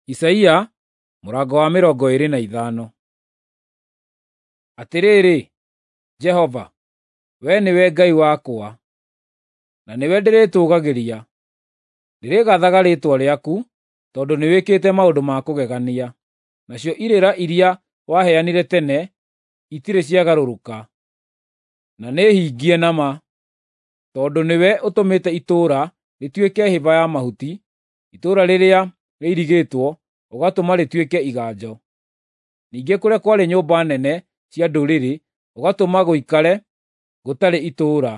Isaia mũrango wa 25. Atĩrĩrĩ, Jehova, wee nĩwe Ngai wakwa, na nĩwe ndĩrĩtũũgagĩria. Ndĩrĩgaathaga rĩĩtwa rĩaku, tondũ nĩwĩkĩte maũndũ ma kũgegania, nacio irĩra iria waheanire tene itirĩ ciagarũrũka, na nĩhingie na ma. Tondũ nĩwe ũtũmĩte itũũra rĩtuĩke hĩba ya mahuti, itũũra rĩrĩa rĩirigĩtwo ũgatũma rĩtuĩke iganjo. Ningĩ kũrĩa kwarĩ nyũmba nene cia ndũrĩrĩ ũgatũma gũikare gũtarĩ itũũra,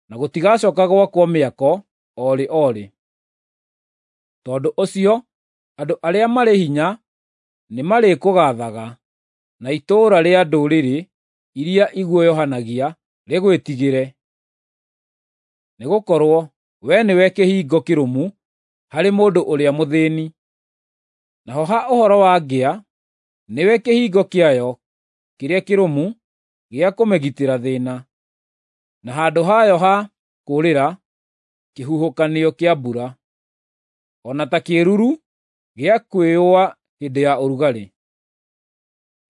na gũtigacooka gwakwo mĩako o rĩ o rĩ. Tondũ ũcio andũ arĩa marĩ hinya nĩmarĩkũgaathaga, na itũũra rĩa ndũrĩrĩ iria iguoyohanagia rĩgwĩtigĩre. Nĩgũkorwo wee nĩwe kĩhingo kĩrũmu harĩ mũndũ ũrĩa mũthĩĩni, naho ha ũhoro wa ngĩa, nĩwe kĩhingo kĩayo kĩrĩa kĩrũmu gĩa kũmĩgitĩra thĩĩna, na handũ hayo ha kũũrĩra kĩhuhũkanio kĩa mbura, o na ta kĩĩruru gĩa kwĩyũa hĩndĩ ya ũrugarĩ.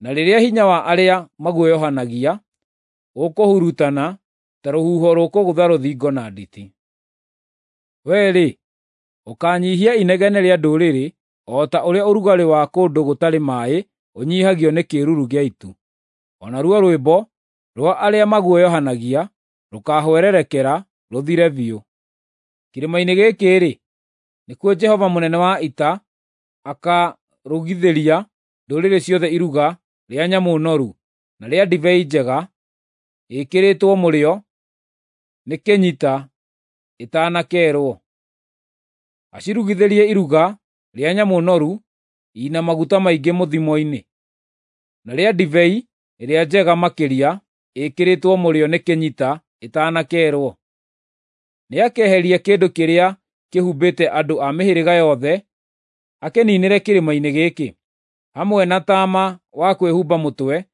Na rĩrĩa hinya wa arĩa maguoyohanagia ũkũhurutana ta rũhuho rũkũgũtha rũthingo na nditi. Wee-rĩ, ũkaanyiihia inegene rĩa ndũrĩrĩ o ta ũrĩa ũrugarĩ wa kũndũ gũtarĩ maaĩ ũnyiihagio nĩ kĩĩruru gĩa itu. O naruo rwĩmbo rwa arĩa maguoyohanagia rũkaahwererekera rũthire biũ. Kĩrĩma-inĩ gĩkĩ-rĩ, nĩkuo Jehova mũnene wa ita akaarugithĩria ndũrĩrĩ ciothe iruga rĩa nyamũ noru na rĩa ndibei njega ĩĩkĩrĩtwo mũrĩo nĩ kĩnyita ĩtanakeerwo. Acirugithĩrie iruga rĩa nyamũ noru i na maguta maingĩ mũthimo-inĩ, na rĩa ndibei ĩrĩa njega makĩria ĩĩkĩrĩtwo mũrĩo nĩ kĩnyita ĩtanakeerwo. Nĩakeheria kĩndũ kĩrĩa kĩhumbĩte andũ a mĩhĩrĩga yothe akĩniinĩre kĩrĩma-inĩ gĩkĩ, hamwe na taama wa kwĩhumba mũtwe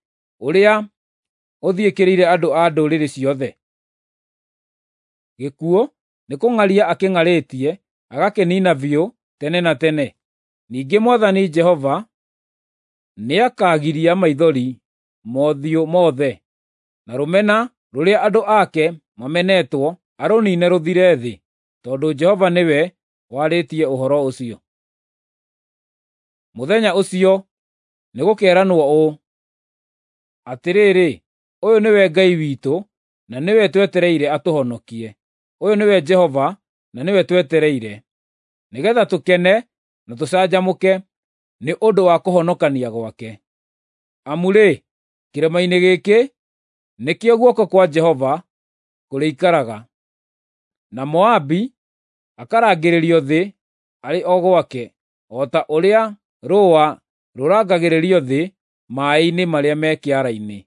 ũrĩa ũthiĩkĩrĩire andũ a ndũrĩrĩ ciothe. Gĩkuũ nĩkũng'aria akĩng'arĩtie agakĩniina biũ tene na tene. Ningĩ Mwathani Jehova nĩakagiria maithori mothiũ mothe, na rũmena rũrĩa andũ ake mamenetwo arũniine rũthire thĩ, tondũ Jehova nĩwe warĩtie ũhoro ũcio. Mũthenya ũcio nĩgũkeeranwo ũũ: Atĩrĩrĩ, ũyũ nĩwe Ngai witũ, na nĩwe twetereire atũhonokie; ũyũ nĩwe Jehova, na nĩwe twetereire, nĩgeetha tũkene na tũcanjamũke nĩ ũndũ wa kũhonokania gwake. Amu-rĩ, kĩrĩma-inĩ gĩkĩ nĩkĩo guoko kwa Jehova kũrĩikaraga, na Moabi akarangĩrĩrio thĩ arĩ o gwake, o ta ũrĩa rũũa rũrangagĩrĩrio thĩ maaĩ-inĩ marĩa me kĩara-inĩ.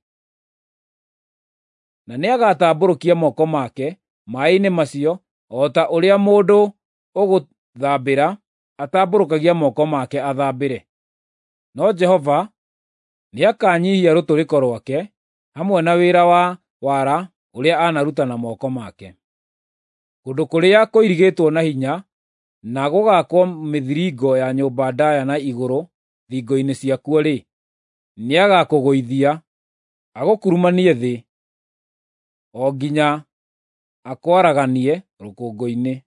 Na nĩagatambũrũkia moko make maaĩ-inĩ macio o ta ũrĩa mũndũ ũgũthambĩra atambũrũkagia moko make athambĩre. No Jehova nĩakanyiihia rũtũrĩko rwake hamwe na wĩra wa wara ũrĩa anaruta na moko make. Kũndũ kũrĩa kũirigĩtwo na hinya na gũgaakwo mĩthiringo ya nyũmba ndaaya na igũrũ thingo-inĩ ciakuo-rĩ, nĩagakũgũithia, agũkurumanie thĩ, o nginya akwaraganie rũkũngũ-inĩ.